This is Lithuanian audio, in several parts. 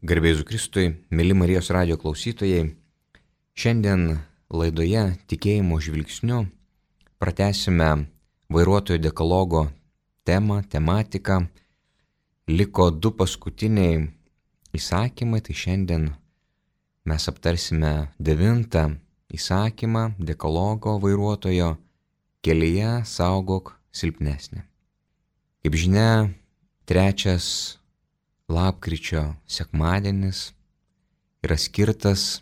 Garbė Jėzui Kristui, mėly Marijos radijo klausytojai, šiandien laidoje Tikėjimo žvilgsniu pratęsime vairuotojo dekalogo tematiką. Liko 2 paskutiniai įsakymai, tai šiandien mes aptarsime 9 įsakymą dekalogo vairuotojo: kelyje saugok silpnesnį. Kaip žinia, 3 lapkričio sekmadienis yra skirtas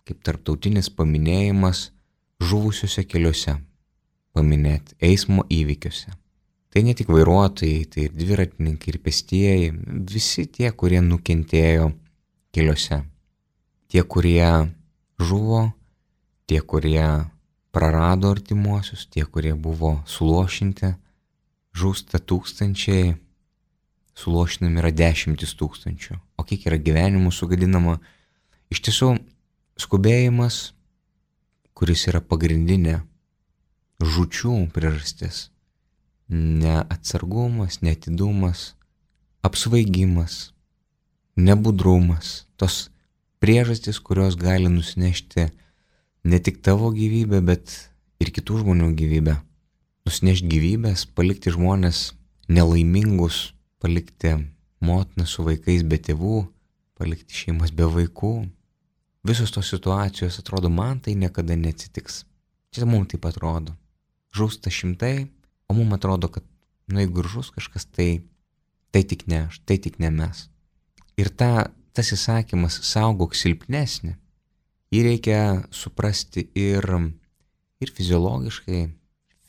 kaip tarptautinis paminėjimas žuvusiuose keliuose, paminėti eismo įvykiuose. Tai ne tik vairuotojai, tai ir dviratininkai, ir pėstieji, visi tie, kurie nukentėjo keliuose. Tie, kurie žuvo, tie, kurie prarado artimuosius, tie, kurie buvo suluošinti, žūsta tūkstančiai, suluošinami yra 10 000. O kiek yra gyvenimų sugadinama? Iš tiesų, skubėjimas, kuris yra pagrindinė žūčių priežastis, neatsargumas, neatidumas, apsvaigimas, nebudrumas, tos priežastys, kurios gali nusinešti ne tik tavo gyvybę, bet ir kitų žmonių gyvybę. Nusinešti gyvybės, palikti žmonės nelaimingus, palikti motiną su vaikais be tėvų, palikti šeimas be vaikų. Visos tos situacijos atrodo, man tai niekada neatsitiks. Čia mums taip atrodo. Žūsta šimtai, o mums atrodo, kad jeigu ir žus kažkas, tai tik ne aš, tai tik ne mes. Ir tas įsakymas saugok silpnesnį, jį reikia suprasti ir fiziologiškai,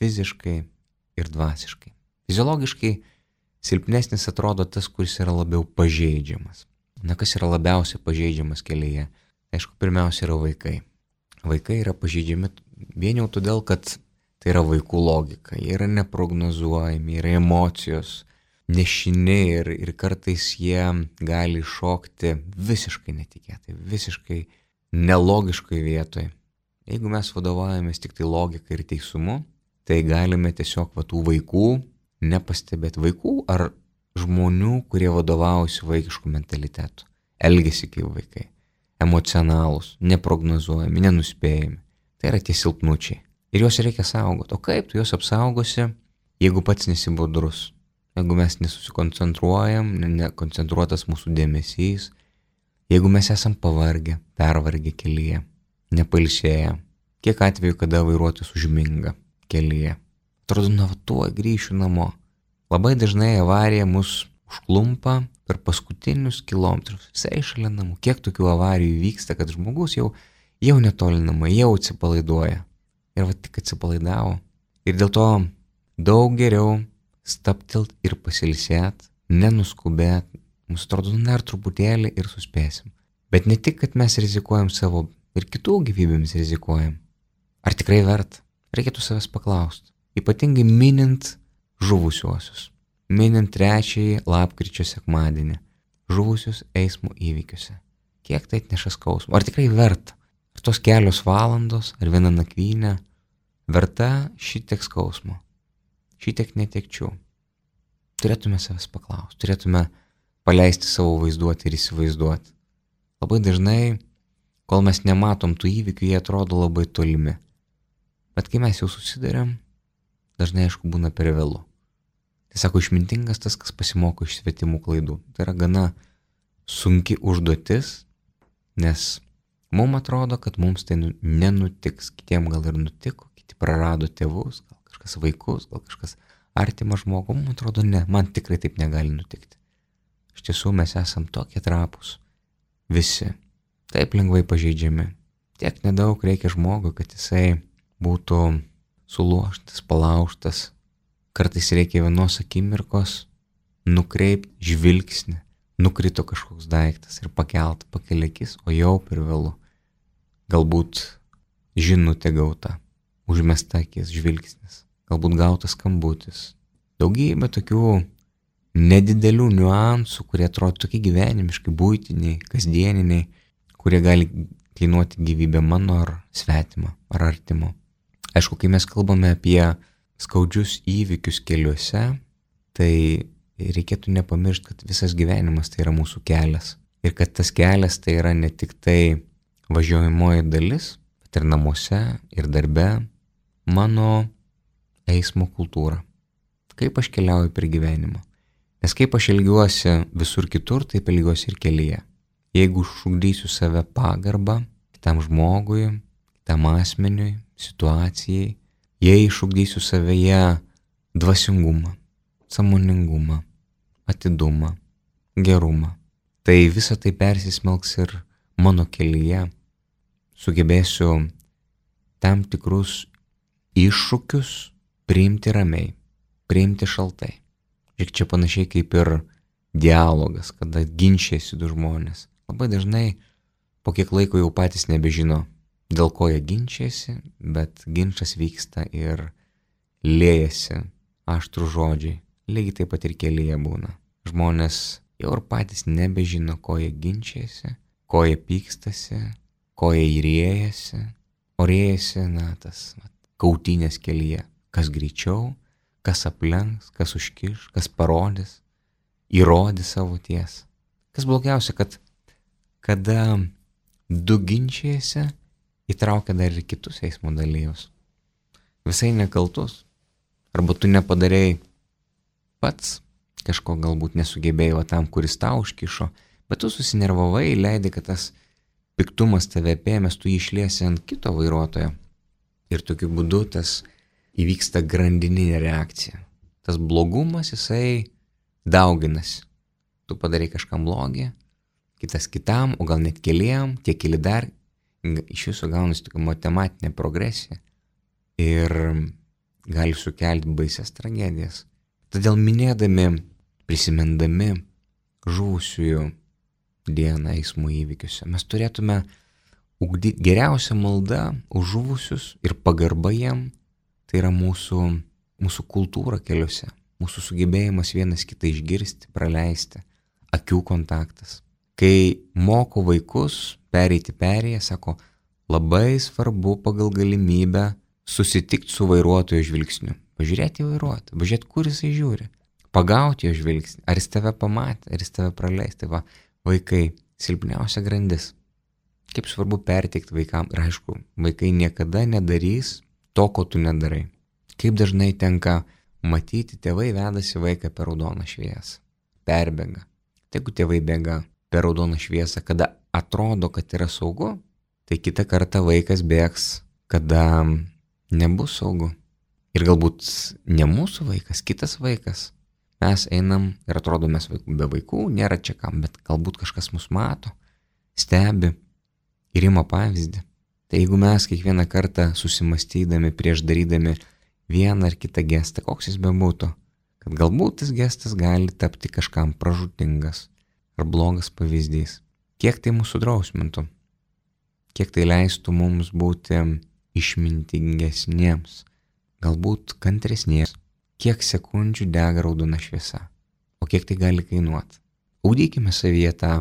fiziškai ir dvasiškai. Fiziologiškai silpnesnis atrodo tas, kuris yra labiau pažeidžiamas. Kas yra labiausiai pažeidžiamas kelyje? Aišku, pirmiausia yra vaikai. Vaikai yra pažeidžiami vien jau todėl, kad tai yra vaikų logika. Jie yra neprognozuojami, yra emocijos, nešini ir kartais jie gali šokti visiškai netikėtai, visiškai nelogiškai vietoj. Jeigu mes vadovaujamės tik tai logika ir teisumu, tai galime tiesiog tų vaikų nepastebėti. Vaikų ar žmonių, kurie vadovaujasi vaikiškų mentalitetų, elgiasi kaip vaikai, emocionalūs, neprognozuojami, nenuspėjami. Tai yra tie silpnučiai. Ir juos reikia saugoti. O kaip tu juos apsaugosi, jeigu pats nesi budrus? Jeigu mes nesusikoncentruojam, nekoncentruotas mūsų dėmesys, jeigu mes esam pavargę, pervargę kelyje, nepailsėję. Kiek atveju, kada vairuotojas užminga kelyje? Atrodo, tuoj grįšiu namo. Labai dažnai avarija mus užklumpa per paskutinius kilometrus, visai šalia namų. Kiek tokių avarijų vyksta, kad žmogus jau netoli namai, jau atsipalaiduoja. Ir tik atsipalaidavo. Ir dėl to daug geriau stabtelt ir pasilsėt, nenuskubėt. Mums atrodo, dar truputėlį ir suspėsim. Bet ne tik, kad mes rizikuojam savo ir kitų gyvybėmis rizikuojam. Ar tikrai verta? Reikėtų savęs paklausti. Ypatingai minint žuvusiuosius. Minint 3 lapkričio sekmadienį. Žuvusius eismo įvykiuose. Kiek tai atneša skausmo? Ar tikrai verta? Ar tos kelios valandos, ar viena nakvynė verta šitiek skausmo? Šitiek netekčių? Turėtume savęs paklausti. Turėtume paleisti savo vaizduoti ir įsivaizduoti. Labai dažnai, kol mes nematom tų įvykių, jie atrodo labai tolimi. Bet kai mes jau susidarėm, dažnai, aišku, būna per vėlu. Tai sako, išmintingas tas, kas pasimoko iš svetimų klaidų. Tai yra gana sunki užduotis, nes mums atrodo, kad mums tai nenutiks. Kitiem gal ir nutiko, kiti prarado tėvus, gal kažkas vaikus, gal kažkas artimą žmogų. Mums atrodo, ne, man tikrai taip negali nutikti. Iš tiesų mes esam tokie trapūs. Visi. Taip lengvai pažeidžiami. Tiek nedaug reikia žmogui, kad jisai būtų sulaužtas, palaužtas. Kartais reikia vienos akimirkos nukreipti žvilgsnį. Nukrito kažkoks daiktas ir pakelia akis, o jau per vėlu. Galbūt žinutė gauta, užmesta akis, žvilgsnis, galbūt gautas skambutis. Daugybė tokių nedidelių niuansų, kurie atrodo tokie gyvenimiškai, buitiniai, kasdieniniai, kurie gali kainuoti gyvybę mano ar svetimą, ar artimo. Aišku, kai mes kalbame apie skaudžius įvykius keliuose, tai reikėtų nepamiršti, kad visas gyvenimas tai yra mūsų kelias. Ir kad tas kelias tai yra ne tik tai važiuojamoji dalis, bet ir namuose, ir darbe, mano eismo kultūra. Kaip aš keliauju per gyvenimą. Nes kaip aš elgiuosi visur kitur, taip elgiuosi ir kelyje. Jeigu šugdysiu save pagarbą kitam žmogui, kitam asmeniui, situacijai, jei šugdysiu savyje dvasingumą, sąmoningumą, atidumą, gerumą, tai visa tai persismelks ir mano kelyje. Sugebėsiu tam tikrus iššūkius priimti ramiai, priimti šaltai. Ir čia panašiai kaip ir dialogas, kada ginčiasi du žmonės. Labai dažnai po kiek laiko jau patys nebežino, dėl ko jie ginčiasi, bet ginčas vyksta ir liejasi aštrų žodžiai. Lygiai taip pat ir kelyje būna. Žmonės jau ir patys nebežino, ko jie ginčiasi, ko jie pykstasi, ko jie įriejasi, o riejasi, tas kautynės kelyje. Kas greičiau, kas aplenks, kas užkiš, kas parodys, įrodys savo tiesą. Kas blogiausia, kad kada du ginčiasi, įtraukia dar ir kitus eismo dalyvius. Visai nekaltus. Arba tu nepadarei pats, kažko galbūt nesugebėjai tam, kuris tau užkišo, bet tu susinervavai, leidai, kad tas piktumas tave apėmęs, tu jį išliesi ant kito vairuotojo. Ir tokiu būdu tas įvyksta grandininė reakcija. Tas blogumas, jisai dauginasi. Tu padarai kažkam blogį, kitas kitam, o gal net keliem, tie keli dar, iš viso gaunasi tokia matematinė progresija ir gali sukelti baisias tragedijas. Todėl minėdami, prisimindami žuvusiųjų dieną eismo įvykiuose, mes turėtume ugdyti geriausią maldą už žuvusius ir pagarbą jiem. Tai yra mūsų kultūra keliuose, mūsų sugebėjimas vienas kitą išgirsti, praleisti, akių kontaktas. Kai moko vaikus pereiti perėję, sako, labai svarbu pagal galimybę susitikti su vairuotojo žvilgsniu. Pažiūrėti į vairuotoją, pažiūrėti, kur jisai žiūri, pagauti jo žvilgsnį, ar jis tave pamatė, ar jis tave praleis. Tai va, vaikai, silpniausia grandis. Kaip svarbu perteikti vaikam, ir aišku, vaikai niekada nedarys to, ko tu nedarai. Kaip dažnai tenka matyti, tėvai vedasi vaiką per raudoną šviesą, perbėga. Tai jeigu tėvai bėga per raudoną šviesą, kada atrodo, kad yra saugu, tai kitą kartą vaikas bėgs, kada nebus saugu. Ir galbūt ne mūsų vaikas, kitas vaikas. Mes einam ir atrodo, mes be vaikų, nėra čia kam, bet galbūt kažkas mus mato, stebi ir ima pavyzdį. Tai jeigu mes kiekvieną kartą susimastydami prieš darydami vieną ar kitą gestą, koks jis bebūtų, kad galbūt tas gestas gali tapti kažkam pražūtingas ar blogas pavyzdys. Kiek tai mūsų drausmintų, kiek tai leistų mums būti išmintingesniems, galbūt kantresniems, kiek sekundžių dega raudona šviesa, o kiek tai gali kainuoti. Ugdykime savyje tą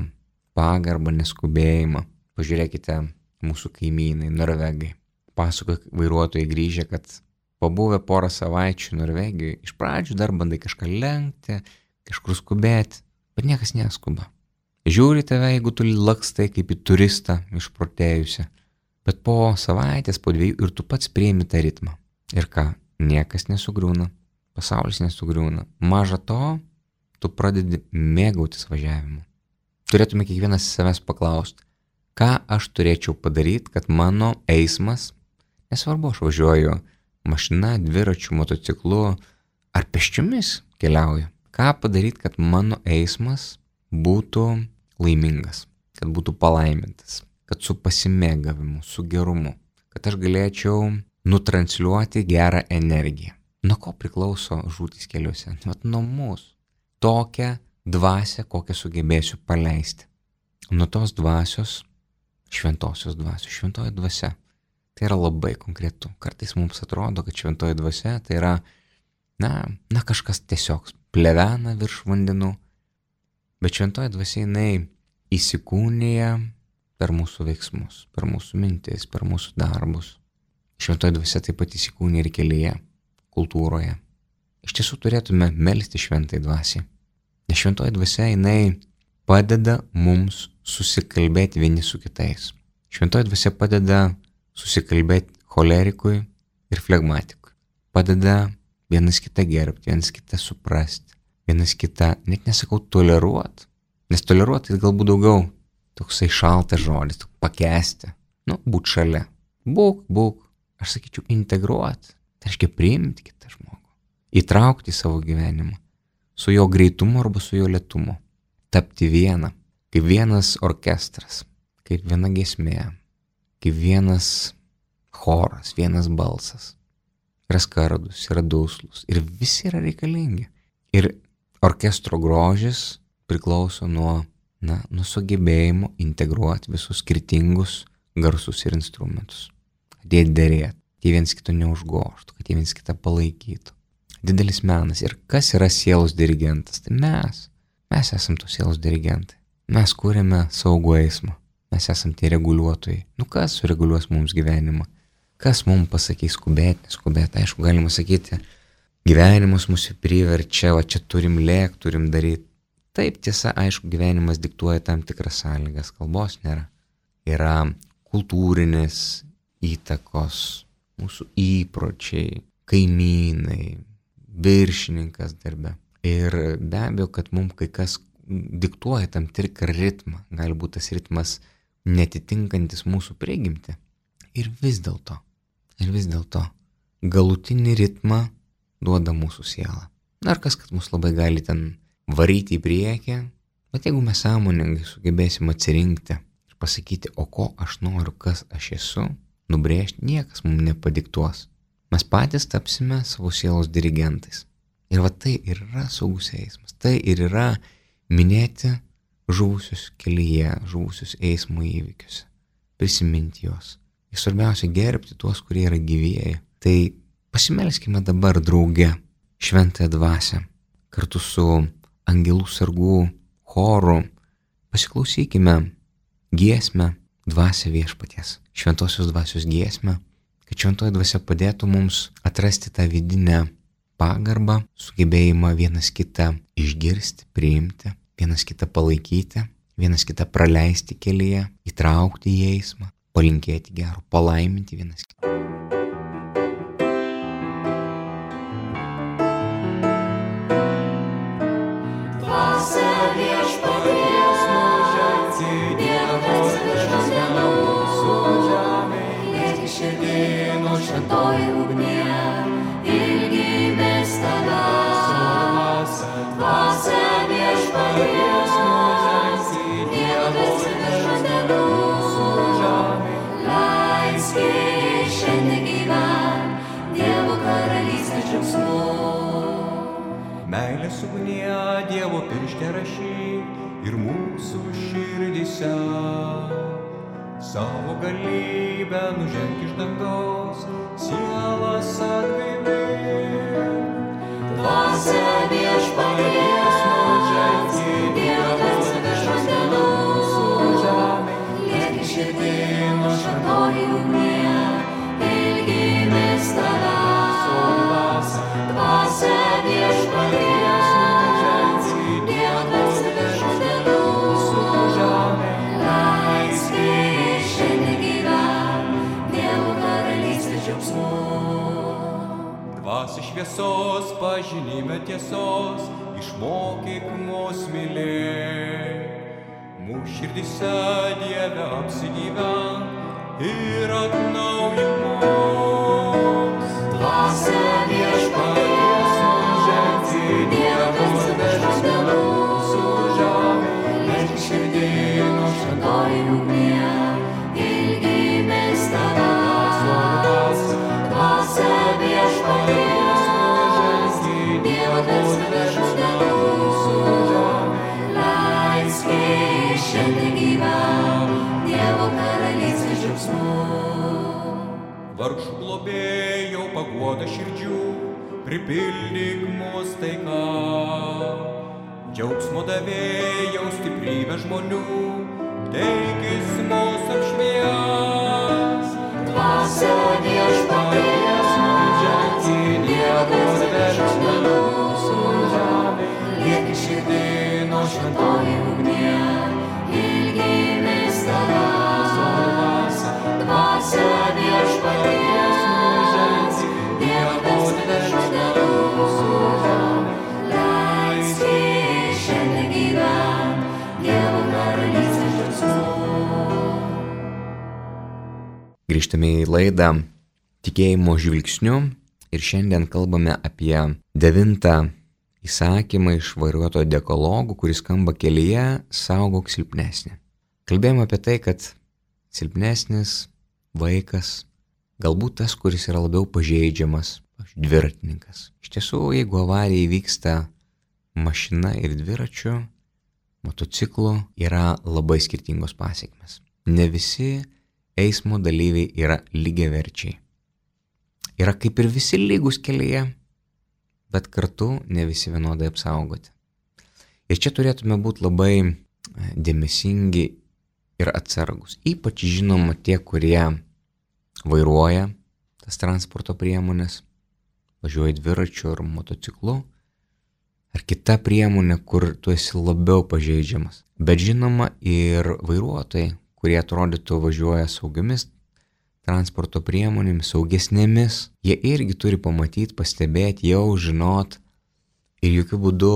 pagarbą, neskubėjimą. Pažiūrėkite mūsų kaimynai, norvegai. Pasakoja vairuotojai grįžę, kad pabuvę porą savaičių Norvegijoje, iš pradžių dar bandai kažką lenkti, kažkur skubėti, bet niekas neskuba. Žiūri tave, jeigu tu lakstai kaip į turistą išprotėjusią, bet po savaitės, po 2 ir tu pats priimi tą ritmą. Ir ką? Niekas nesugriūna, pasaulis nesugriūna. Maža to, tu pradedi mėgautis važiavimu. Turėtume kiekvienas savęs paklausti, ką aš turėčiau padaryti, kad mano eismas, nesvarbu, aš važiuoju mašina, dviračiu, motociklu ar pėsčiomis keliauju, ką padaryti, kad mano eismas būtų laimingas, kad būtų palaimintas, kad su pasimėgavimu, su gerumu, kad aš galėčiau nutransliuoti gerą energiją. Nuo ko priklauso žūtys keliuose? Nuo mūsų. Tokią dvasią, kokią sugebėsiu paleisti. Nuo tos dvasios, šventosios dvasios, šventoji dvasia. Tai yra labai konkretu. Kartais mums atrodo, kad šventoji dvasia tai yra, kažkas tiesiog plevena virš vandenų. Bet šventoji dvasia jinai įsikūnija per mūsų veiksmus, per mūsų mintis, per mūsų darbus. Šventoji dvasia taip pat įsikūnija ir kelyje, kultūroje. Iš tiesų turėtume melsti šventai dvasiai. Nes šventoji dvasia jinai padeda mums susikalbėti vieni su kitais. Šventoji dvasia padeda susikalbėti cholerikui ir flegmatikui. Padeda vienas kitą gerbti, vienas kitą suprasti, vienas kitą, net nesakau toleruoti, nes toleruoti tai galbūt daugiau toksai šaltas žodis, pakęsti, būt šalia. Būk, aš sakyčiau integruoti, tai reiškia priimti kitą žmogų, įtraukti į savo gyvenimą, su jo greitumu arba su jo lėtumu, tapti viena, kaip vienas orkestras, kaip viena giesmė, kaip vienas choras, vienas balsas. Yra skardus, yra duslus ir visi yra reikalingi. Ir orkestro grožis priklauso nuo sugebėjimo integruoti visus skirtingus garsus ir instrumentus. Kad jie derėtų, kad jie viens kito neužgoštų, kad jie viens kitą palaikytų. Didelis menas. Ir kas yra sielos dirigentas? Tai mes esam tos sielos dirigentai. Mes kūrėme saugų eismą. Mes esam tie reguliuotojai. Kas sureguliuos mums gyvenimą? Kas mums pasakys skubėti, neskubėti? Aišku, galima sakyti, gyvenimas mūsų priverčia, čia turim lėkti, turim daryti. Taip, tiesa, aišku, gyvenimas diktuoja tam tikras sąlygas, kalbos nėra. Yra kultūrinės įtakos, mūsų įpročiai, kaimynai, viršininkas darbe. Ir be abejo, kad mums kai kas diktuoja tam tikrą ritmą, gali būti tas ritmas netitinkantis mūsų prigimtį. Ir vis dėlto, galutinį ritmą duoda mūsų siela. Ar kas, kad mus labai gali ten varyti į priekį, bet jeigu mes sąmoningai sugebėsim atsirinkti ir pasakyti, o ko aš noriu, kas aš esu, nubrėžti, niekas mums nepadiktuos. Mes patys tapsime savo sielos dirigentais. Ir tai ir yra saugus eismas. Tai ir yra minėti žuvusius kelyje, žuvusius eismo įvykius, prisiminti juos. Ir svarbiausia gerbti tuos, kurie yra gyvieji. Tai pasimelskime dabar drauge šventąją dvasią, kartu su angelų sargų choru. Pasiklausykime giesmę Dvasia viešpaties, šventosios dvasios giesmę, kad šventoji dvasia padėtų mums atrasti tą vidinę pagarbą, sugebėjimą vienas kitą išgirsti, priimti, vienas kitą palaikyti, vienas kitą praleisti kelyje, įtraukti į eismą, palinkėti gero, palaiminti vienas kitą. Šventoji ugnie, ilgimės tavęs, dvasia viešpaties mūsų, Dievas iš dienų, leisk šiandien gyvent, Dievo karalystės džiaugsmu. Meilės ugnie Dievo piršte rašyk ir mūsų širdyse, savo galybę nuženk iš dangaus, sielas atgaivink. Dvasia viešpaties mūsų, Dievas iš dienų, liek širdin šventoji ugnie, ilgimės tavęs, dvasia viešpaties mūsų, Dievas iš dienų, leisk šiandien gyvent, Dievo karalystės džiaugsmu. Dvasia šviesos, pažinime tiesos, išmokyk mus mylėti. Mūsų širdyse Dieve apsigyvenk ir atnaujink mus. Dvasia viešpaties mūsų, Dievas iš dienų, liek širdin šventoji ugnie, ilgimės tavęs, dvasia viešpaties mūsų, Dievas iš dienų, leisk šiandien gyvent, Dievo karalystės džiaugsmu. Vargšų globėjau paguoda širdžių, pripildyk mus taika. Džiaugsmo davėjau stiprybę žmonių, teikis mus apšvies. Dvasia viešpaties mūsų, Dievas iš dienų, liek širdin šventoji ugnie, ilgimės tavęs, dvasia viešpaties nužengs, Dievo dešinėje, leisk jį šiandien gyvent, Dievo karalystės džiaugsmu. Grįžtame į laidą Tikėjimo žvilgsniu ir šiandien kalbame apie 9 įsakymą iš vairuotojo dekalogų, kuris skamba kelyje saugok silpnesnį. Kalbėjome apie tai, kad silpnesnis vaikas, galbūt tas, kuris yra labiau pažeidžiamas, dviratininkas. Iš tiesų, jeigu avarija įvyksta mašina ir dviračiu, motociklu, yra labai skirtingos pasekmės. Ne visi eismo dalyviai yra lygiaverčiai. Yra kaip ir visi lygus kelyje, bet kartu ne visi vienodai apsaugoti. Ir čia turėtume būti labai dėmesingi ir atsargus. Ypač žinoma tie, kurie vairuoja tas transporto priemonės, važiuoja dviračiu ar motociklu, ar kita priemonė, kur tu esi labiau pažeidžiamas. Bet žinoma ir vairuotojai, kurie atrodytų važiuoja saugiamis transporto priemonėmis, saugesnėmis, jie irgi turi pamatyti, pastebėti, jau žinot ir jokių būdų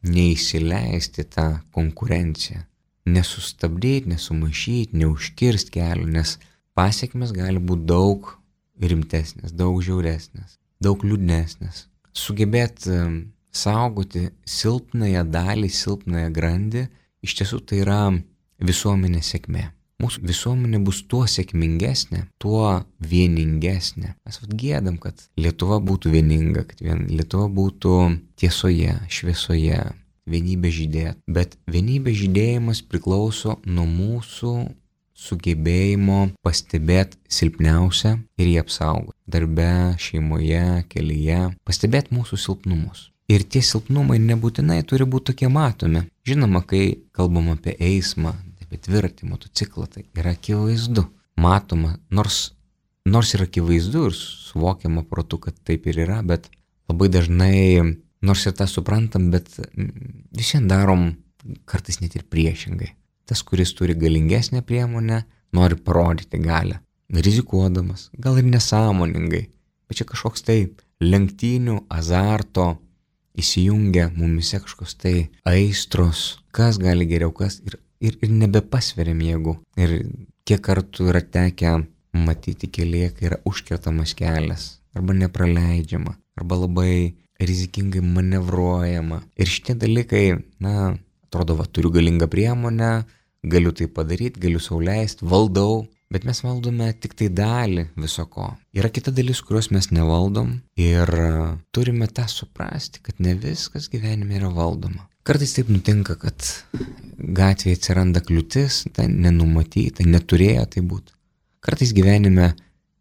neįsileisti tą konkurenciją. Nesustabdyti, nesumaišyti, neužkirsti kelio, nes pasekmės gali būti daug rimtesnės, daug žiauresnės, daug liūdnesnės. Sugebėti saugoti silpnąją dalį, silpnąją grandį, iš tiesų tai yra visuomenės sėkmė. Mūsų visuomenė bus tuo sėkmingesnė, tuo vieningesnė. Mes gėdam, kad Lietuva būtų vieninga, kad Lietuva būtų tiesoje, šviesoje, vienybė žydėtų. Bet vienybė žydėjimas priklauso nuo mūsų sugebėjimo pastebėti silpniausią ir jį apsaugoti. Darbe, šeimoje, kelyje, pastebėti mūsų silpnumus. Ir tie silpnumai nebūtinai turi būti tokie matomi. Žinoma, kai kalbam apie eismą, apie dviratį, motociklą, tai yra akivaizdu, matoma, nors yra akivaizdu ir suvokiama protu, kad taip ir yra, bet labai dažnai, nors ir tą suprantam, bet visiems darom kartais net ir priešingai. Tas, kuris turi galingesnę priemonę, nori parodyti galią, rizikuodamas, gal ir nesąmoningai, bet čia kažkoks tai lenktynių, azarto, įsijungia mumise kažkoks tai aistros, kas gali geriau, kas ir nebepasveriam jėgų. Ir kiek kartų yra tekę matyti kelyje, kai yra užkertamas kelias, arba nepraleidžiama, arba labai rizikingai manevruojama. Ir šitie dalykai, atrodo, turiu galingą priemonę, galiu tai padaryti, galiu sau leisti, valdau, bet mes valdome tik tai dalį viso ko. Yra kita dalis, kurios mes nevaldom ir turime tą suprasti, kad ne viskas gyvenime yra valdoma. Kartais taip nutinka, kad gatvėje atsiranda kliūtis, tai nenumatyta, neturėjo tai būti. Kartais gyvenime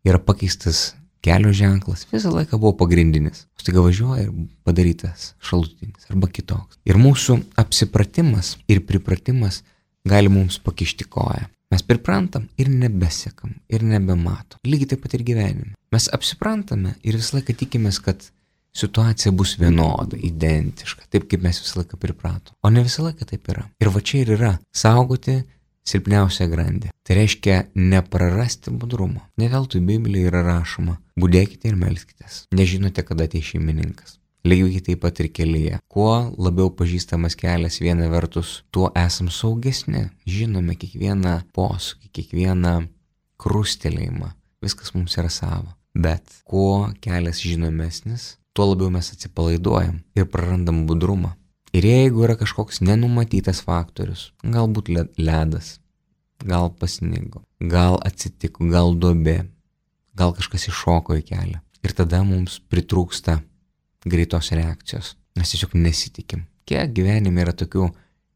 yra pakeistas kelio ženklas, visą laiką buvo pagrindinis. Staiga važiuoja ir padarytas šalutinis arba kitoks. Ir mūsų apsipratimas ir pripratimas gali mums pakišti koją. Mes priprantam ir nebesekam, ir nebematom. Lygiai taip pat ir gyvenime. Mes apsiprantame ir visą laiką tikimės, kad situacija bus vienoda, identiška, taip kaip mes visą laiką pripratom. O ne visą laiką taip yra. Ir va čia ir yra saugoti silpniausią grandį. Tai reiškia neprarasti budrumo. Ne veltui Biblijoje yra rašoma, budėkite ir melskitės. Nežinote, kada ateis šeimininkas. Lygiai taip pat ir kelyje. Kuo labiau pažįstamas kelias viena vertus, tuo esam saugesni. Žinome kiekvieną posūkį, kiekvieną krustelėjimą. Viskas mums yra savo. Bet kuo kelias žinomesnis, tuo labiau mes atsipalaiduojam ir prarandam budrumą. Ir jeigu yra kažkoks nenumatytas faktorius, galbūt ledas, gal pasnigo, gal atsitiko, gal duobė, gal kažkas iššoko į kelią. Ir tada mums pritrūksta greitos reakcijos. Mes tiesiog nesitikim. Kiek gyvenime yra tokių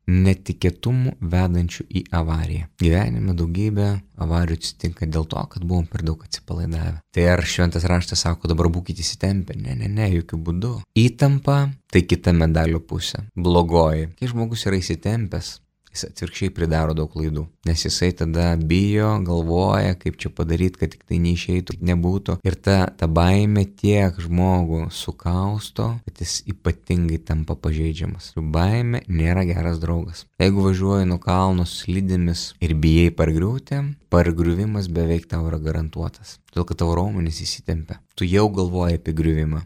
netikėtumų vedančių į avariją. Gyvenime daugybė avarijų atsitinka dėl to, kad buvom per daug atsipalaidavę. Tai ar šventas raštas sako, dabar būkite įsitempę? Ne, jokių būdų. Įtampa tai kita medalio pusė, blogoji. Kai žmogus yra įsitempęs, jis atvirkščiai pridaro daug klaidų. Nes jisai tada bijo, galvoja, kaip čia padaryti, kad tik tai neišeitų, nebūtų. Ir ta baimė tiek žmogų sukausto, kad jis ypatingai tampa pažeidžiamas. Baimė nėra geras draugas. Jeigu važiuoji nuo kalno slidėmis ir bijai pargriūti, pargriuvimas beveik tau yra garantuotas. Todėl, kad tavo raumenys įsitempia. Tu jau galvoji apie griuvimą.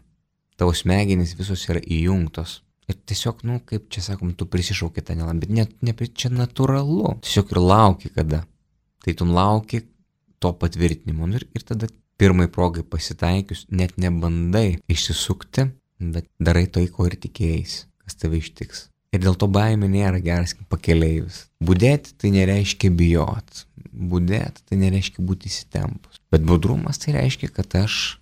Tavo smegenys visos yra įjungtos. Ir tiesiog, kaip čia sakom, tu prisišauki tą nelaimę, bet čia natūralu. Tiesiog ir lauki kada. Tai tu lauki to patvirtinimo. Ir tada pirmai progai pasitaikius, net nebandai išsisukti, bet darai tai, ko ir tikėjais, kas tave ištiks. Ir dėl to baimė nėra geras pakeleivis. Budėti tai nereiškia bijot. Budėti tai nereiškia būti įsitempus. Bet budrumas tai reiškia, kad aš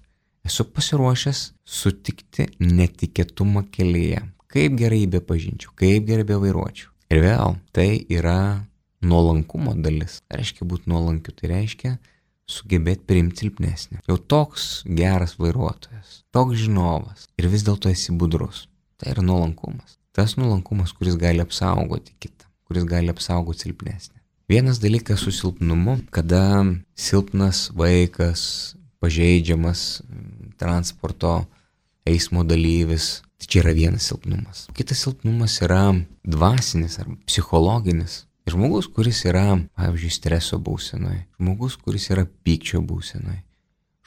esu pasiruošęs sutikti netikėtumą kelyje. Kaip gerai bepažinčiau, kaip gerai bevairuočiau. Ir vėl, tai yra nuolankumo dalis. Tai reiškia būti nuolankiu, tai reiškia sugebėti priimti silpnesnį. Jau toks geras vairuotojas, toks žinovas ir vis dėlto esi budrus. Tai yra nuolankumas. Tas nuolankumas, kuris gali apsaugoti kitą, kuris gali apsaugoti silpnesnį. Vienas dalykas su silpnumu, kada silpnas vaikas, pažeidžiamas transporto eismo dalyvis, tai čia yra vienas silpnumas. Kitas silpnumas yra dvasinis ar psichologinis. Žmogus, kuris yra, pavyzdžiui, streso būsenoje, žmogus, kuris yra pykčio būsenoje,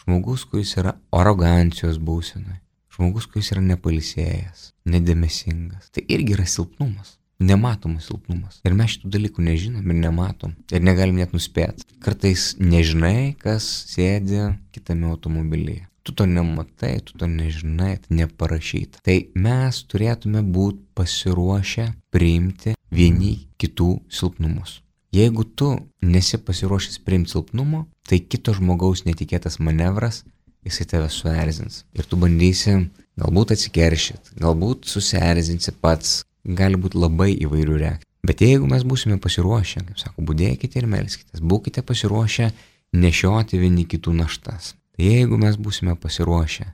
žmogus, kuris yra arogancijos būsenoje, žmogus, kuris yra nepailsėjęs, nedėmesingas. Tai irgi yra silpnumas, nematomas silpnumas. Ir mes šitų dalykų nežinom ir nematom. Ir negalim net nuspėti. Kartais nežinai, kas sėdi kitame automobilyje. Tu to nematai, tu to nežinai, tai neparašyta. Tai mes turėtume būti pasiruošę priimti vieni kitų silpnumus. Jeigu tu nesi pasiruošęs priimti silpnumo, tai kito žmogaus netikėtas manevras, jisai tave suerzins. Ir tu bandysi galbūt atsikeršyti, galbūt susierzinsi pats, gali būti labai įvairių reakcijų. Bet jeigu mes būsime pasiruošę, kaip sako, budėkite ir melskitės, būkite pasiruošę nešioti vieni kitų naštas. Tai jeigu mes būsime pasiruošę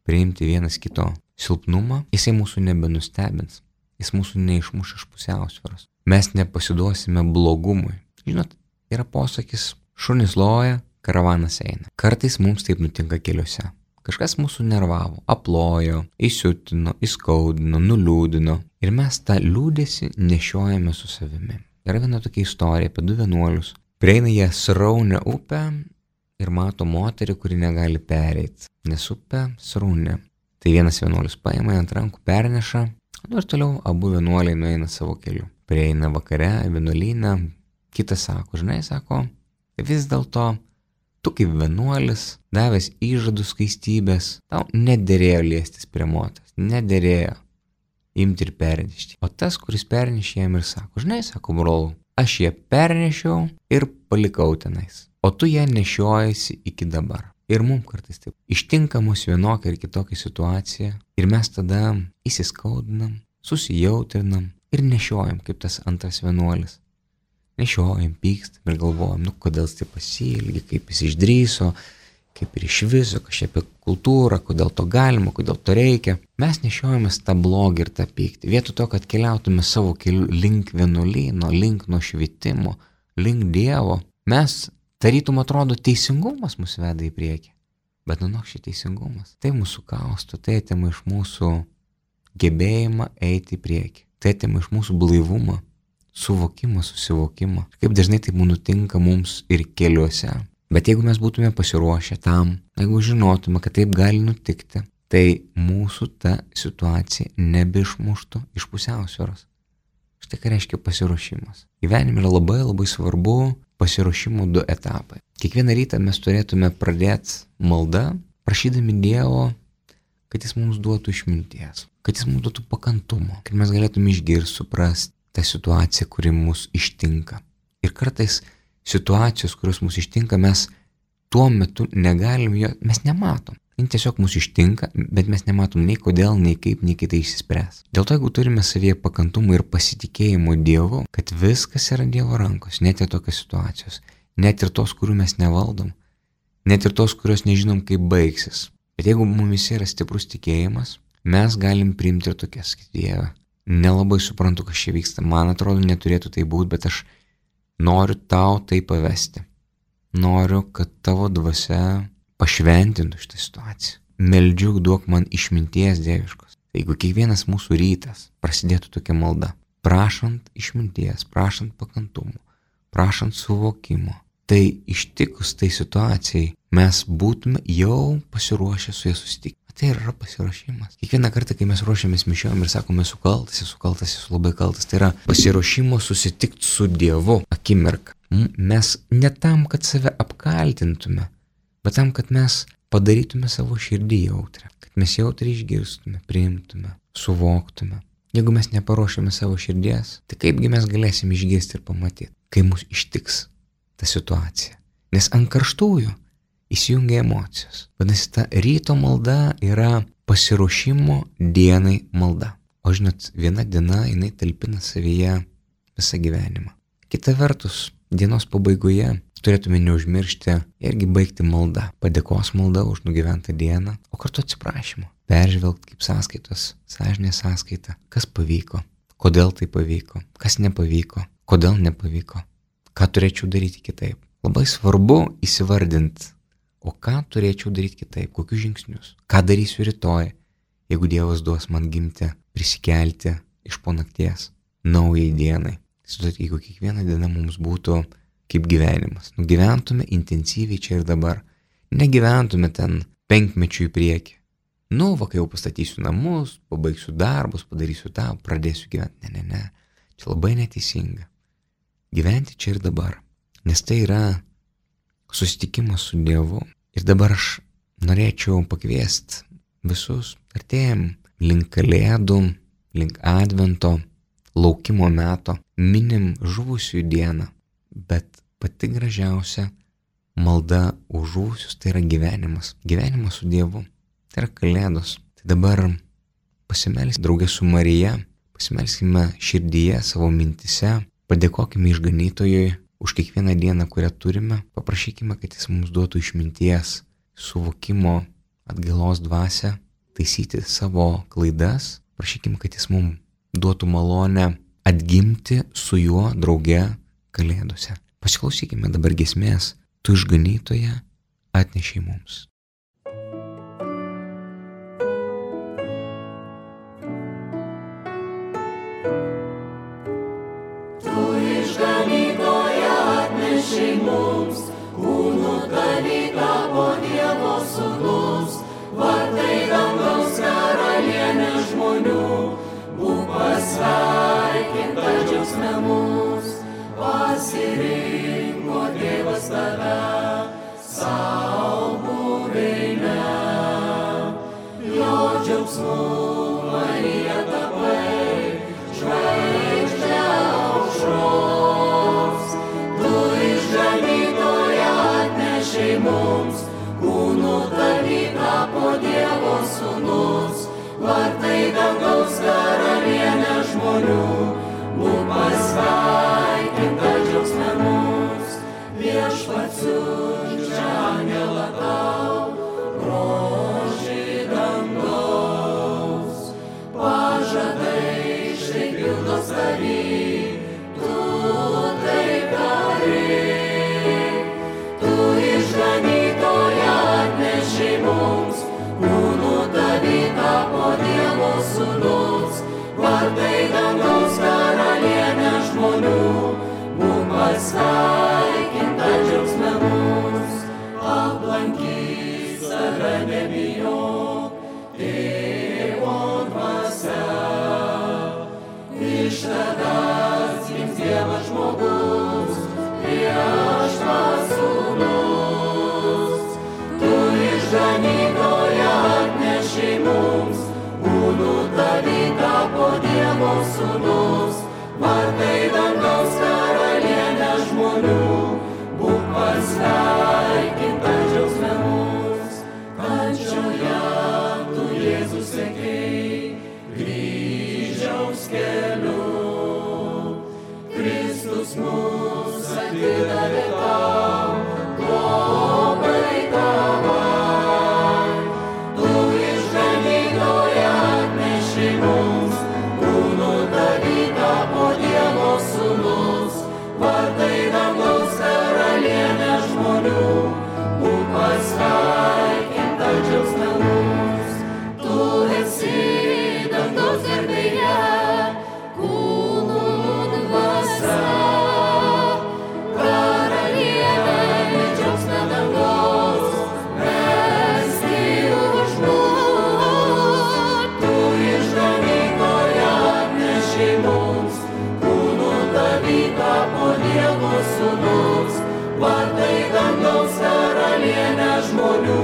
priimti vienas kito silpnumą, jisai mūsų nebenustebins, jis mūsų neišmuš iš pusiausvyros. Mes nepasiduosime blogumui. Žinot, yra posakis, šunys loja, karavanas eina. Kartais mums taip nutinka keliuose. Kažkas mūsų nervavo, aplojo, įsiutino, įskaudino, nuliūdino. Ir mes tą liūdesį nešiojame su savimi. Yra viena tokia istorija apie du vienuolius. Prieina jie sraunę upę ir mato moterį, kuri negali pereiti, nes upė srauni. Tai vienas vienuolis paima ant rankų, perneša, ir toliau abu vienuoliai nueina savo keliu. Prieina vakare vienuolyną, kitas sako, žinai, sako, vis dėlto tu kaip vienuolis, davęs įžadų skaistybės, tau nederėjo liestis prie moters, nederėjo imti ir pernešti. O tas, kuris pernešė jam ir sako, žinai, sako, brolau, aš ją pernešiau ir palikau tenais. O tu ją nešiojasi iki dabar. Ir mums kartais taip ištinka mus vienokia ir kitokia situacija ir mes tada įsiskaudinam, susijautrinam ir nešiojam kaip tas antras vienuolis. Nešiojam, pykstam ir galvojam, kodėl jis taip pasielgė, kaip jis išdrįso, kaip ir iš viso, kažkaip apie kultūrą, kodėl to galima, kodėl to reikia. Mes nešiojamės tą blogį ir tą pyktį. Vietoj to, kad keliautume savo keliu link vienuolyno, link nušvitimo, link Dievo, mes tarytum atrodo teisingumas mus veda į priekį. Bet šį teisingumas. Tai mūsų kausto, tai atima iš mūsų gebėjimą eiti į priekį. Tai atima iš mūsų blaivumą, suvokimą, susivokimą. Kaip dažnai tai nutinka mums ir keliuose. Bet jeigu mes būtume pasiruošę tam, jeigu žinotume, kad taip gali nutikti, tai mūsų ta situacija nebeišmuštų iš pusiausvyros. Štai ką reiškia pasiruošimas. Gyvenime yra labai labai svarbu pasiruošimo 2 etapai. Kiekvieną rytą mes turėtume pradėti maldą, prašydami Dievo, kad jis mums duotų išminties, kad jis mums duotų pakantumo, kad mes galėtume išgirsti, suprasti tą situaciją, kuri mus ištinka. Ir kartais situacijos, kurios mus ištinka, mes tuo metu negalim mes nematom. Jis tiesiog mus ištinka, bet mes nematom nei kodėl, nei kaip, nei kitai išsispręs. Dėl to, jeigu turime savyje pakantumo ir pasitikėjimo Dievu, kad viskas yra Dievo rankos, net ir tokios situacijos, net ir tos, kurių mes nevaldom, net ir tos, kurios nežinom, kaip baigsis. Bet jeigu mumis yra stiprus tikėjimas, mes galim priimti ir tokias, kad Dieve, nelabai suprantu, kas čia vyksta. Man atrodo, neturėtų tai būti, bet aš noriu tau tai pavesti. Noriu, kad tavo dvasia pašventintų šitą situaciją. Meldžiu, duok man išminties dieviškos. Jeigu kiekvienas mūsų rytas prasidėtų tokia malda, prašant išminties, prašant pakantumo, prašant suvokimo, tai ištikus tai situacijai mes būtume jau pasiruošę su ja susitikti. Tai yra pasiruošimas. Kiekvieną kartą, kai mes ruošiamės mišiom ir sakome, esu labai kaltas, tai yra pasiruošimo susitikti su Dievu akimirką. Mes ne tam, kad save apkaltintume, bet tam, kad mes padarytume savo širdį jautrę, kad mes jautriai išgirstume, priimtume, suvoktume. Jeigu mes neparuošiame savo širdies, tai kaipgi mes galėsim išgirsti ir pamatyti, kai mus ištiks ta situacija. Nes ant karštųjų įsijungia emocijos. Vadinasi, ta ryto malda yra pasiruošimo dienai malda. O žinot, viena diena jinai talpina savyje visą gyvenimą. Kita vertus, dienos pabaigoje turėtume neužmiršti irgi baigti maldą. Padėkos malda už nugyventą dieną, o kartu atsiprašymą. Peržvelgti kaip sąskaitos, sąžinės sąskaita, kas pavyko, kodėl tai pavyko, kas nepavyko, kodėl nepavyko, ką turėčiau daryti kitaip. Labai svarbu įsivardinti, o ką turėčiau daryti kitaip, kokius žingsnius, ką darysiu rytoj, jeigu Dievas duos man gimti, prisikelti iš po nakties, naujai dienai. Jeigu kiekviena diena mums būtų kaip gyvenimas, nugyventume intensyviai čia ir dabar, negyventume ten 5 mečių į priekį. Kai jau pastatysiu namus, pabaigsiu darbus, padarysiu tą, pradėsiu gyventi. Ne, čia labai neteisinga. Gyventi čia ir dabar, nes tai yra susitikimas su Dievu. Ir dabar aš norėčiau pakviesti visus, artėjam link Kalėdų, link Advento, laukimo meto, minim žuvusiųjų dieną, bet pati gražiausia malda už žuvusius tai yra gyvenimas. Gyvenimas su Dievu, tai yra Kalėdos. Tai dabar pasimelskime draugė su Marija, pasimelskime širdyje, savo mintise, padėkokime išganytojui už kiekvieną dieną, kurią turime, paprašykime, kad jis mums duotų išminties, suvokimo, atgailos dvasią, taisyti savo klaidas, prašykime, kad jis mums duotų malonę atgimti su juo drauge Kalėdose. Pasiklausykime dabar giesmės, tu išganytoje atnešiai mums. Mums, kūnų dalyką po Dievo sūnus, vartai dangaus karalienė žmonių, būk pasveikinta džiaugsme mus, pasirinko Dievas tave, savo buveinę, jo džiaugsmu Marija tapai, žvaigždė aušros. Mums, kūnų dalyką po Dievo sūnus, vartai dangaus karalienė žmonių, būk pasveikinta džiaugsme mus, viešpats siunčia angelą tau, grožį dangaus, pažadai štai pildos tavy, tu taip darai. Išganytoja atnešiai mums, kūnų dalyką po Dievo sūnus, vartai dangaus karalienė žmonių, būk pasveikinta džiaugsme mus, aplankyk save nebijok, Tėvo dvasia, iš tavęs gims Dievas žmogus, prieš tą sūnus, tu išganytoja atnešiai mums, kūnų dalyką po Dievo sūnus, vartai dangaus karalienė žmonių, būk pasveikinta džiaugsme mus, kančioje tu Jėzus sekei, kryžiaus keliu, Kristus mus atidavė tau, globai tavai, tu išganytoja atnešiai mums, kūnų tapo Dievo sūnus, vartai dangaus karalienė žmonių,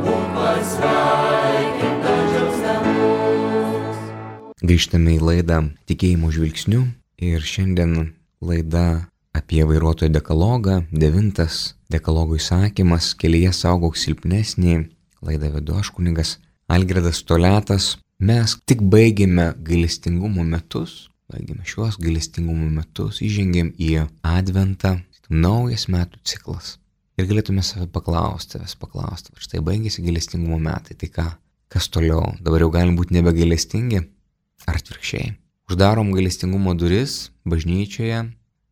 būk pasveikinta džiaugsme mus. Grįžtame į laidą Tikėjimo žvilgsniu ir šiandien laida apie vairuotojo dekalogą, 9 dekalogo įsakymas, kelyje saugok silpnesnį. Laidą vedu aš kunigas Algirdas Toliatas. Mes tik baigėme gailestingumo metus, įžengėm į Adventą, naujas metų ciklas. Ir galėtume savęs paklausti, štai baigėsi gailestingumo metai, tai ką, kas toliau, dabar jau galim būti nebegailestingi, ar atvirkščiai. Uždarom gailestingumo duris bažnyčioje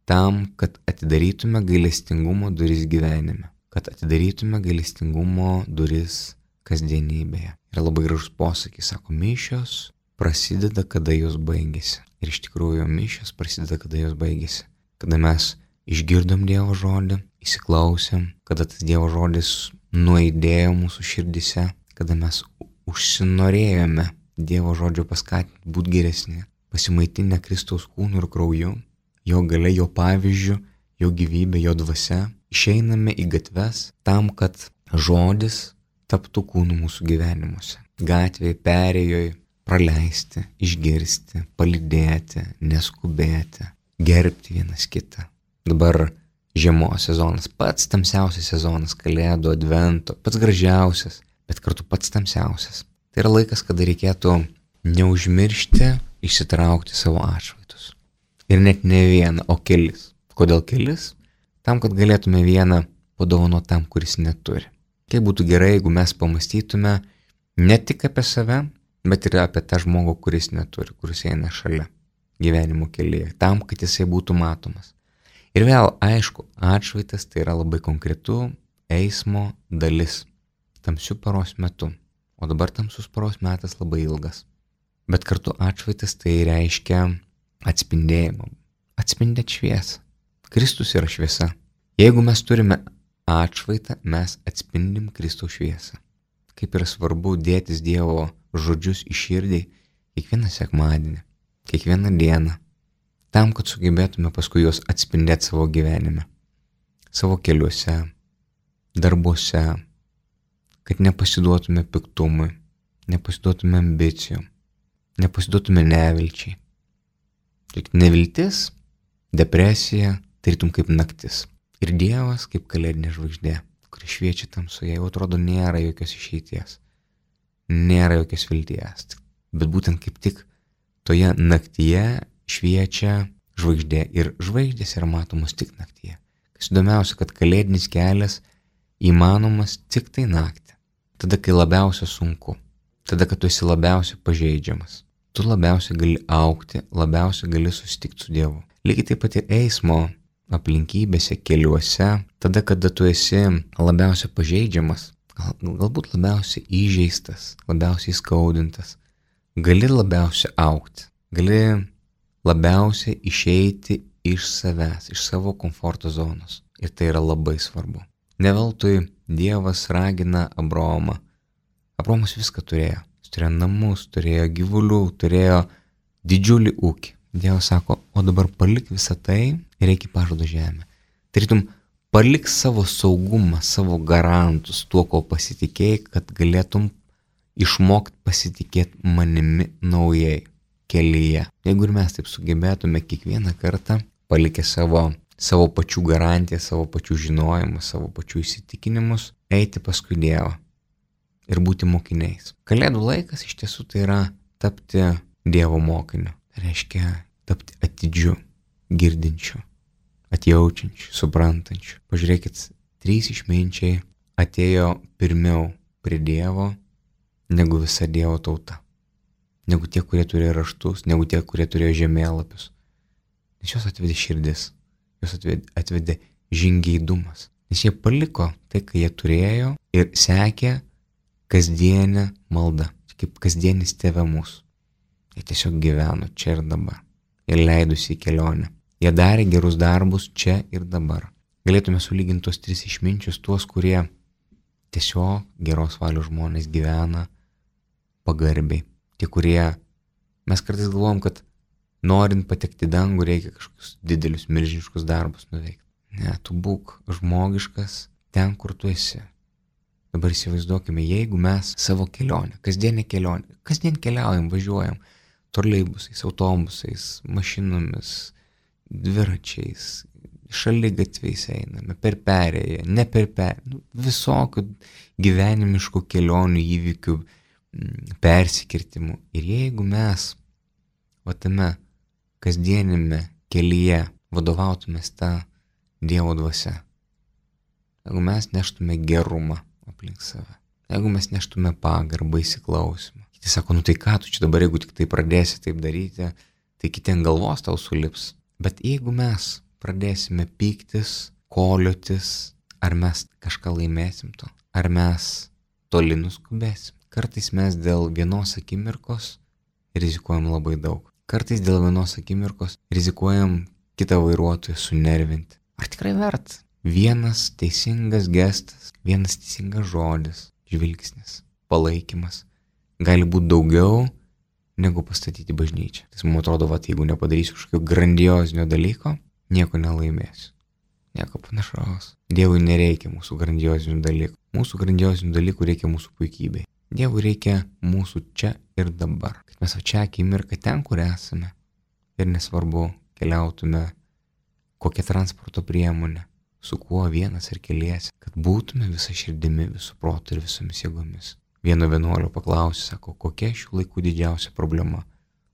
tam, kad atidarytume gailestingumo duris gyvenime, kad atidarytume gailestingumo duris kasdienybėje. Yra labai gražus posakis, sako, mišios prasideda, kada jos baigėsi. Ir iš tikrųjų mišios prasideda, kada jos baigėsi. Kada mes išgirdom Dievo žodį, įsiklausėm, kada tas Dievo žodis nuaidėjo mūsų širdise, kada mes užsinorėjome Dievo žodžio paskatinti būti geresni, pasimaitinę Kristaus kūnu ir krauju, jo galia, jo pavyzdžiu, jo gyvybė, jo dvasia, išeiname į gatves tam, kad žodis taptų kūnu mūsų gyvenimuose. Gatvėje, perėjoje, praleisti, išgirsti, palydėti, neskubėti, gerbti vienas kitą. Dabar žiemos sezonas, pats tamsiausias sezonas, Kalėdų, Advento, pats gražiausias, bet kartu pats tamsiausias. Tai yra laikas, kada reikėtų neužmiršti išsitraukti savo atšvaitus. Ir net ne vieną, o kelis. Kodėl kelis? Tam, kad galėtume vieną padovanoti tam, kuris neturi. Kaip būtų gerai, jeigu mes pamastytume ne tik apie save, bet ir apie tą žmogų, kuris neturi, kuris eina šalia gyvenimo kelyje, tam, kad jisai būtų matomas. Ir vėl, aišku, atšvaitas tai yra labai konkretu eismo dalis tamsių paros metu, o dabar tamsus paros metas labai ilgas. Bet kartu atšvaitas tai reiškia atspindėjimą, atspindėt šviesą. Kristus yra šviesa. Jeigu mes turime atšvaitą, mes atspindim Kristaus šviesą. Kaip yra svarbu dėtis Dievo žodžius į širdį kiekvieną sekmadienį, kiekvieną dieną, tam, kad sugebėtume paskui juos atspindėti savo gyvenime, savo keliuose, darbuose, kad nepasiduotume piktumui, nepasiduotume ambicijom, nepasiduotume nevilčiai. Tik neviltis, depresija, tarytum kaip naktis. Ir Dievas kaip kalėdinė žvaigždė, kuri šviečia tamsoje, jau atrodo nėra jokios išeities, nėra jokios vilties. Bet būtent kaip tik toje naktyje šviečia žvaigždė ir žvaigždės yra matomos tik naktyje. Kas įdomiausia, kad kalėdinis kelias įmanomas tik tai naktį. Tada, kai labiausia sunku, tada, kad tu esi labiausiai pažeidžiamas. Tu labiausiai gali augti, labiausiai gali susitikti su Dievu. Lygiai taip pat ir eismo aplinkybėse, keliuose, tada, kada tu esi labiausiai pažeidžiamas, galbūt labiausiai įžeistas, labiausiai skaudintas, gali labiausiai augti, gali labiausiai išeiti iš savęs, iš savo komforto zonos. Ir tai yra labai svarbu. Ne veltui Dievas ragina Abraomą. Abraomas viską turėjo. Jis turėjo namus, turėjo gyvulių, turėjo didžiulį ūkį. Dievas sako, o dabar palik visą tai ir eik į pažado žemę. Tarytum, palik savo saugumą, savo garantus, tuo, ko pasitikėjai, kad galėtum išmokti pasitikėti manimi naujai kelyje. Jeigu ir mes taip sugebėtume kiekvieną kartą palikę savo pačių garantiją, savo pačių žinojimą, savo pačių įsitikinimus, eiti paskui Dievą ir būti mokiniais. Kalėdų laikas iš tiesų tai yra tapti Dievo mokiniu. Tai reiškia tapti atidžiu, girdinčiu, atjaučiančiu, suprantančiu. Pažiūrėkit, 3 išminčiai atėjo pirmiau prie Dievo negu visa Dievo tauta. Negu tie, kurie turėjo raštus, negu tie, kurie turėjo žemėlapius. Nes jos atvedė širdis, jos atvedė žingeidumas. Nes jie paliko tai, ką jie turėjo ir sekė kasdienę maldą, kaip kasdienis tėve mūsų. Jie tiesiog gyveno čia ir dabar. Jie leidusi į kelionę. Jie darė gerus darbus čia ir dabar. Galėtume sulyginti tos 3 išminčius, tuos, kurie tiesiog geros valios žmonės gyvena pagarbiai. Tie, kurie, mes kartais galvom, kad norint patekti į dangų reikia kažkokius didelius, milžiniškus darbus nuveikti. Ne, tu būk žmogiškas ten, kur tu esi. Dabar įsivaizduokime, jeigu mes savo kelionę, kasdien keliaujam, važiuojam troleibusais, autobusais, mašinomis, dviračiais, šaligatviais einame, per perėją, ne per perėją, visokių gyvenimiškų kelionių įvykių, persikirtimų. Ir jeigu mes tame kasdienime kelyje vadovautumės tą Dievo dvasia, jeigu mes neštume gerumą aplink save, jeigu mes neštume pagarbą, įsiklausimą. Kiti sako, tai ką tu čia dabar, jeigu tik tai pradėsi taip daryti, tai kiti ant galvos tau sulips. Bet jeigu mes pradėsime pyktis, koliotis, ar mes kažką laimėsim to, ar mes toli nuskubėsim. Kartais mes dėl vienos akimirkos rizikuojam labai daug. Kartais dėl vienos akimirkos rizikuojam kitą vairuotoją sunervinti. Ar tikrai verta? Vienas teisingas gestas, vienas teisingas žodis, žvilgsnis, palaikymas gali būti daugiau negu pastatyti bažnyčią. Tai man atrodo, jeigu nepadarysiu kažkokio grandiozinio dalyko, nieko nelaimėsiu. Nieko panašaus. Dievui nereikia mūsų grandiozinių dalykų. Mūsų grandiozinių dalykų reikia mūsų puikybei. Dievui reikia mūsų čia ir dabar. Kad mes čia akimirką ten, kur esame. Ir nesvarbu, keliautume kokią transporto priemonę, su kuo vienas ir keliesi, kad būtume visą širdimi, visų protų ir visomis jėgomis. Vieno vienuolio paklausė, sako, kokia šių laikų didžiausia problema?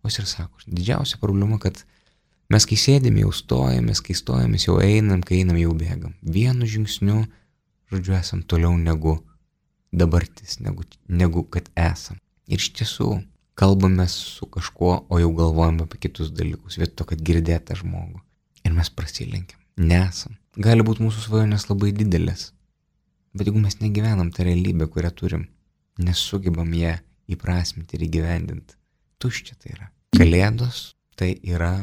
O jis ir sako, didžiausia problema, kad mes kai sėdėme jau stojamės, kai stojamės jau einam, kai einam jau bėgam. Vienu žingsniu, žodžiu, esam toliau negu dabartis, negu kad esam. Ir iš tiesų, kalbame su kažkuo, o jau galvojame apie kitus dalykus, vietoj to, kad girdėtą žmogų. Ir mes prasilenkiam, nesam. Gali būti mūsų svajonės labai didelės, bet jeigu mes negyvenam tą realybę, kurią turim, nesugebam ją įprasminti ir įgyvendinti, tuščia tai yra. Kalėdos tai yra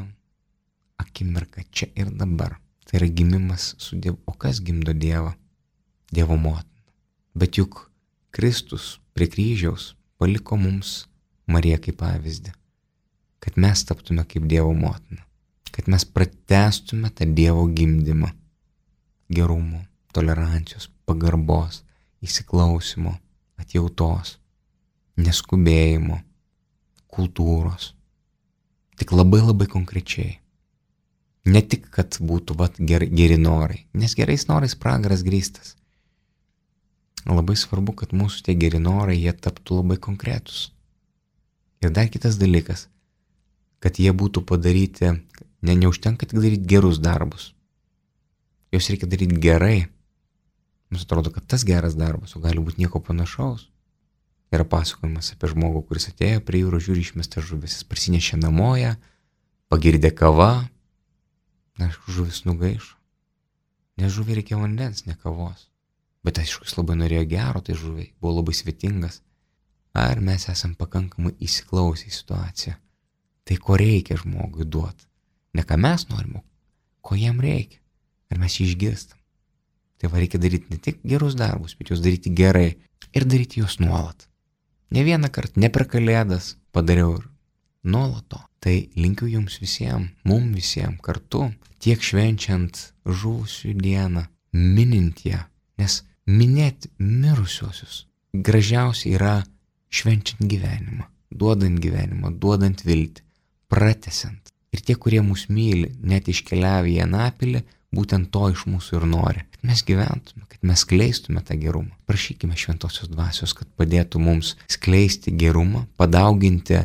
akimirka čia ir dabar. Tai yra gimimas su Dievu. O kas gimdo Dievą? Dievo motina. Bet juk Kristus prie kryžiaus paliko mums Mariją kaip pavyzdį, kad mes taptume kaip Dievo motina, kad mes pratęstume tą Dievo gimdymą gerumo, tolerancijos, pagarbos, įsiklausimo, atjautos, neskubėjimo, kultūros. Tik labai labai konkrečiai. Ne tik, kad būtų geri norai, nes gerais norais pragaras grįstas. Labai svarbu, kad mūsų tie geri norai, jie taptų labai konkretus. Ir dar kitas dalykas, kad jie būtų padaryti, neužtenka tik daryti gerus darbus. Jos reikia daryti gerai. Mums atrodo, kad tas geras darbas, o gali būti nieko panašaus. Yra pasakojimas apie žmogų, kuris atėjo prie jūros, žiūri išmestą žuvis, jis parsinešė namoje, pagirdė kava, žuvis nugaišo. Nes žuviai reikia vandens, ne kavos. Bet aišku, jis labai norėjo gero, tai žuviai buvo labai svetingas. Ar mes esam pakankamai įsiklausę į situaciją? Tai ko reikia žmogui duoti? Ne ką mes norime, ko jam reikia. Ar mes jį išgirstam? Tai reikia daryti ne tik gerus darbus, bet juos daryti gerai ir daryti juos nuolat. Ne vieną kartą, ne per Kalėdas padariau ir nuolato. Tai linkiu jums visiems, mums visiems kartu, tiek švenčiant žuvusių dieną, minint ją, nes minėti mirusiosius gražiausia yra švenčiant gyvenimą, duodant viltį, pratęsiant. Ir tie, kurie mus myli, net iškeliavę į Anapilį, būtent to iš mūsų ir nori. Kad mes gyventume, kad mes skleistume tą gerumą. Prašykime šventosios dvasios, kad padėtų mums skleisti gerumą, padauginti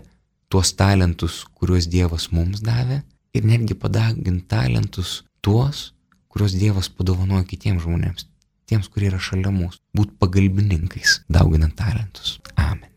tuos talentus, kuriuos Dievas mums davė, ir netgi padauginti talentus tuos, kuriuos Dievas padovanojo kitiems žmonėms, tiems, kurie yra šalia mūsų, būt pagalbininkais, dauginant talentus. Amen.